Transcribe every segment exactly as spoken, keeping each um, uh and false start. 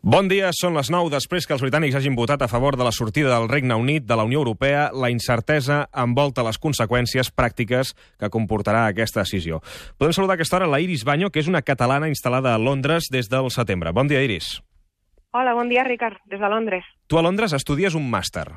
Bon dia, són les nou. Després que els britànics hagin votat a favor de la sortida del Regne Unit de la Unió Europea, la incertesa envolta les conseqüències pràctiques que comportarà aquesta decisió. Podem saludar a aquesta hora la Iris Baño, que és una catalana instal·lada a Londres des del setembre. Bon dia, Iris. Hola, bon dia, Ricard, des de Londres. Tu a Londres estudies un màster.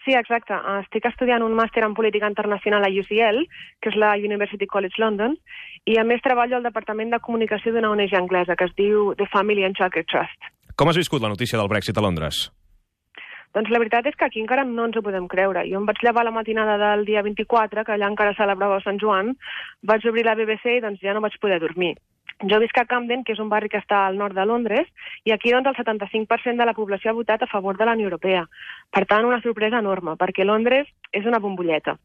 Sí, exacte. Estic estudiant un màster en política internacional a U C L, que és la University College London, i a més treballo al Departament de Comunicació d'una O N G anglesa que es diu The Family and Childcare Trust. Com has viscut la notícia del Brexit a Londres? Doncs la veritat és que aquí encara no ens ho podem creure. Jo em vaig llevar la matinada del dia vint-i-quatre, que allà encara celebrava Sant Joan, vaig obrir la B B C i doncs ja no vaig poder dormir. Jo visc a Camden, que és un barri que està al nord de Londres, i aquí doncs el setanta-cinc per cent de la població ha votat a favor de la Unió Europea. Per tant, una sorpresa enorme, perquè Londres és una bombolleta.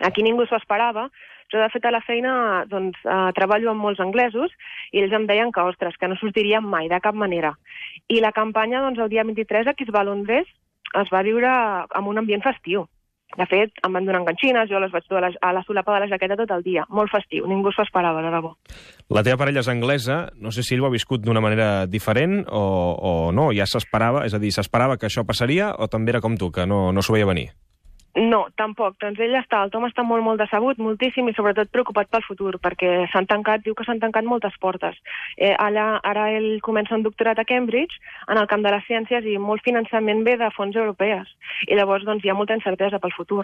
Aquí ningú s'ho esperava. Jo, de fet, a la feina doncs, eh, treballo amb molts anglesos i ells em deien que, ostres, que no sortirien mai, de cap manera. I la campanya, doncs, el dia vint-i-tres, aquí es va a Londres, es va viure amb un ambient festiu. De fet, em van donar enganxines, jo les vaig dur a la, a la solapa de la jaqueta tot el dia. Molt festiu, ningú s'ho esperava, de debò. La teva parella és anglesa, no sé si ell ho ha viscut d'una manera diferent o, o no, ja s'esperava, és a dir, s'esperava que això passaria o també era com tu, que no, no s'ho veia venir? No, tampoc. Doncs ell està, el Tom està molt, molt decebut, moltíssim, i sobretot preocupat pel futur, perquè s'han tancat, diu que s'han tancat moltes portes. Eh, allà, ara ell comença un doctorat a Cambridge, en el camp de les ciències, i molt finançament ve de fons europees. I llavors, doncs, hi ha molta incertesa pel futur.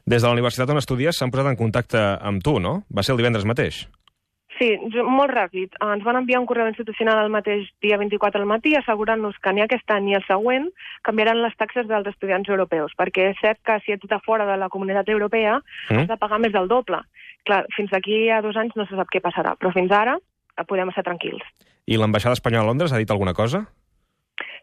Des de la universitat on estudies s'han posat en contacte amb tu, no? Va ser el divendres mateix. Sí, molt ràpid. Ens van enviar un correu institucional el mateix dia vint-i-quatre al matí assegurant-nos que ni aquest any ni el següent canviaran les taxes dels estudiants europeus, perquè és cert que si ets de fora de la comunitat europea mm. has de pagar més del doble. Clar, fins aquí a dos anys no se sap què passarà, però fins ara podem estar tranquils. I l'ambaixada espanyola a Londres ha dit alguna cosa?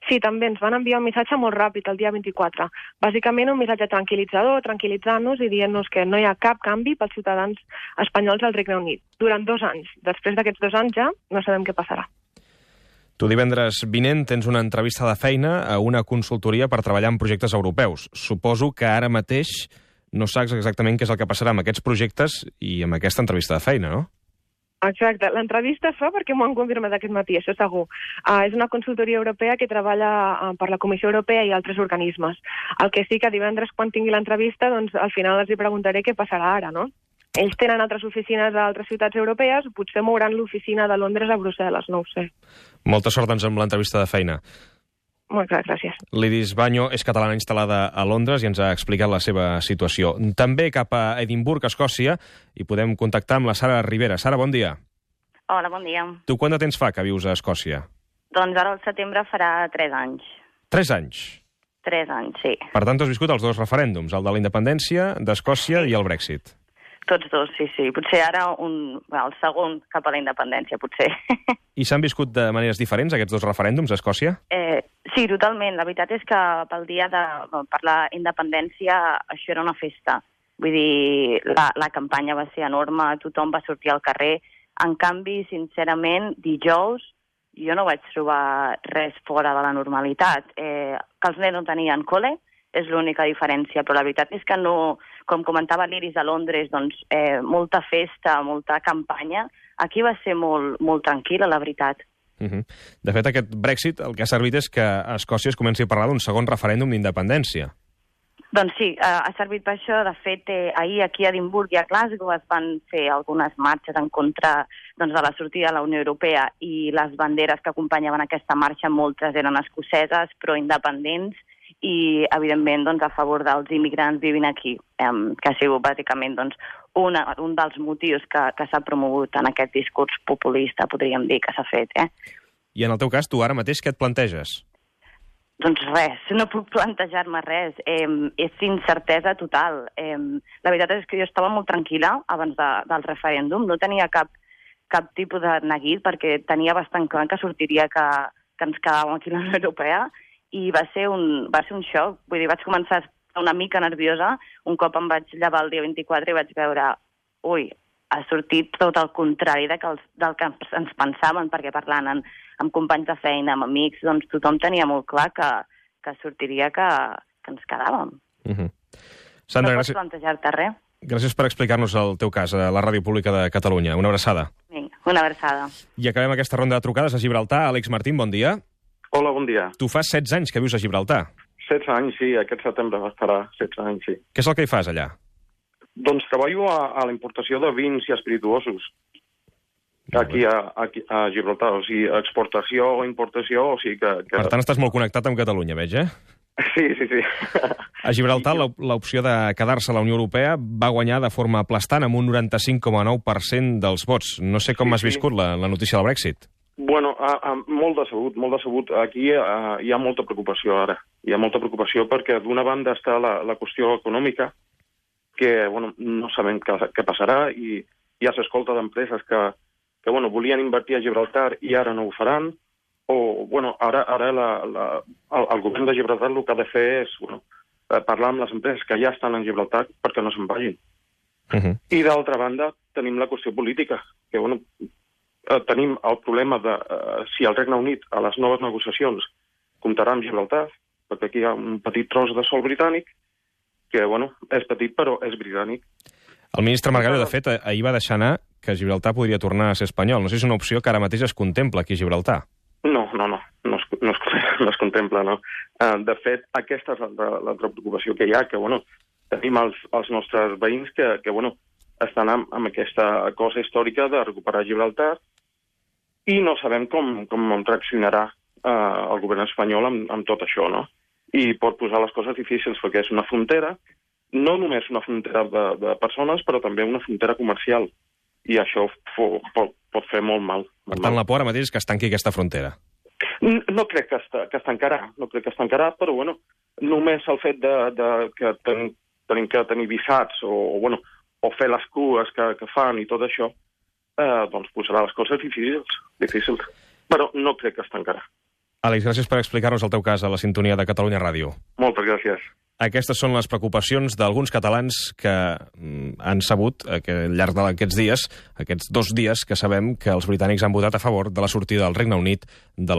Sí, també ens van enviar un missatge molt ràpid el dia vint-i-quatre. Bàsicament un missatge tranquil·litzador, tranquil·litzant-nos i dient-nos que no hi ha cap canvi pels ciutadans espanyols al Regne Unit. Durant dos anys. Després d'aquests dos anys ja no sabem què passarà. Tu divendres vinent tens una entrevista de feina a una consultoria per treballar en projectes europeus. Suposo que ara mateix no saps exactament què és el que passarà amb aquests projectes i amb aquesta entrevista de feina, no? Exacte. L'entrevista es fa perquè m'ho han confirmat aquest matí, això segur. Uh, és una consultoria europea que treballa uh, per la Comissió Europea i altres organismes. El que sí que divendres, quan tingui l'entrevista, doncs al final els hi preguntaré què passarà ara, no? Ells tenen altres oficines a altres ciutats europees, potser mouran l'oficina de Londres a Brussel·les, no ho sé. Molta sort, doncs, amb l'entrevista de feina. Molt clar, gràcies. L'Iris Baño és catalana instal·lada a Londres i ens ha explicat la seva situació. També cap a Edimburg, Escòcia, i podem contactar amb la Sara Rivera. Sara, bon dia. Hola, bon dia. Tu quant de temps fa que vius a Escòcia? Doncs ara al setembre farà tres anys. Tres anys? Tres anys, sí. Per tant, has viscut els dos referèndums, el de la independència d'Escòcia sí. i el Brexit. Tots dos, sí, sí. Potser ara un, bueno, el segon cap a la independència, potser. I s'han viscut de maneres diferents, aquests dos referèndums a Escòcia? Eh, sí, totalment. La veritat és que pel dia de... per la independència això era una festa. Vull dir, la, la campanya va ser enorme, tothom va sortir al carrer. En canvi, sincerament, dijous jo no vaig trobar res fora de la normalitat. Eh, que els nens no tenien col·le, és l'única diferència, però la veritat és que no, com comentava l'Iris a Londres, doncs eh, molta festa, molta campanya. Aquí va ser molt, molt tranquil·la, la veritat. Uh -huh. De fet, aquest Brexit el que ha servit és que a Escòcia es comenci a parlar d'un segon referèndum d'independència. Doncs sí, eh, ha servit per això. De fet, eh, ahir aquí a Edimburg i a Glasgow es van fer algunes marxes en contra doncs, de la sortida de la Unió Europea i les banderes que acompanyaven aquesta marxa, moltes eren escoceses, però independents, i, evidentment, doncs, a favor dels immigrants vivint aquí, eh, que ha sigut, bàsicament, doncs, una, un dels motius que, que s'ha promogut en aquest discurs populista, podríem dir, que s'ha fet. Eh? I en el teu cas, tu ara mateix què et planteges? Doncs res, no puc plantejar-me res. Eh, és incertesa total. Eh, la veritat és que jo estava molt tranquil·la abans de, del referèndum, no tenia cap, cap tipus de neguit, perquè tenia bastant clar que sortiria que, que ens quedàvem aquí a la Unió Europea, i va ser un, va ser un xoc. Vull dir, vaig començar a estar una mica nerviosa. Un cop em vaig llevar el dia vint-i-quatre i vaig veure, ui, ha sortit tot el contrari de que els, del que ens pensàvem, perquè parlant amb, amb companys de feina, amb amics, doncs tothom tenia molt clar que, que sortiria que, que ens quedàvem. Uh-huh. Sandra, no gràcies... pots plantejar-te res. Gràcies per explicar-nos el teu cas a la Ràdio Pública de Catalunya. Una abraçada. Vinga, una abraçada. I acabem aquesta ronda de trucades a Gibraltar. Àlex Martín, bon dia. Hola, bon dia. Tu fa setze anys que vius a Gibraltar. setze anys, sí, aquest setembre farà setze anys, sí. Què és el que hi fas allà? Doncs treballo a, a la importació de vins i espirituosos. Aquí a, aquí a Gibraltar, o sigui, exportació o importació, o sigui que... que... Per tant, estàs molt connectat amb Catalunya, veig, eh? Sí, sí, sí. A Gibraltar, l'opció de quedar-se a la Unió Europea va guanyar de forma aplastant amb un noranta-cinc coma nou per cent dels vots. No sé com Sí, has sí. viscut la, la notícia del Brexit. Bueno, a, a, molt decebut, molt decebut. Aquí a, hi ha molta preocupació ara. Hi ha molta preocupació perquè d'una banda està la, la qüestió econòmica, que bueno, no sabem què, què passarà, i ja s'escolta d'empreses que, que bueno, volien invertir a Gibraltar i ara no ho faran, o bueno, ara, ara la, la, el, el govern de Gibraltar el que ha de fer és bueno, parlar amb les empreses que ja estan en Gibraltar perquè no se'n vagin. Uh -huh. I d'altra banda tenim la qüestió política, que bueno, eh, tenim el problema de eh, si el Regne Unit a les noves negociacions comptarà amb Gibraltar, perquè aquí hi ha un petit tros de sol britànic, que bueno, és petit però és britànic. El ministre Margallo, de fet, ahir va deixar anar que Gibraltar podria tornar a ser espanyol. No sé si és una opció que ara mateix es contempla aquí a Gibraltar. No, no, no, no es, no es, no es contempla, no. Uh, de fet, aquesta és l'altra preocupació que hi ha, que, bueno, tenim els, els nostres veïns que, que bueno, estan amb, amb aquesta cosa històrica de recuperar Gibraltar i no sabem com, com reaccionarà uh, el govern espanyol amb, amb tot això, no? I pot posar les coses difícils, perquè és una frontera, no només una frontera de, de persones, però també una frontera comercial. I això fo, pot, pot fer molt mal. Per tant, la por ara mateix és que es tanqui aquesta frontera. No, no crec que es, que es tancarà, no crec que es tancarà, però bueno, només el fet de, de que ten, tenim que tenir visats o, o, bueno, o fer les cues que, que fan i tot això, eh, doncs posarà les coses difícils, difícils. Però no crec que es tancarà. Àlex, gràcies per explicar-nos el teu cas a la sintonia de Catalunya Ràdio. Moltes gràcies. Aquestes són les preocupacions d'alguns catalans que mm, han sabut eh, que al llarg d'aquests dies, aquests dos dies que sabem que els britànics han votat a favor de la sortida del Regne Unit de la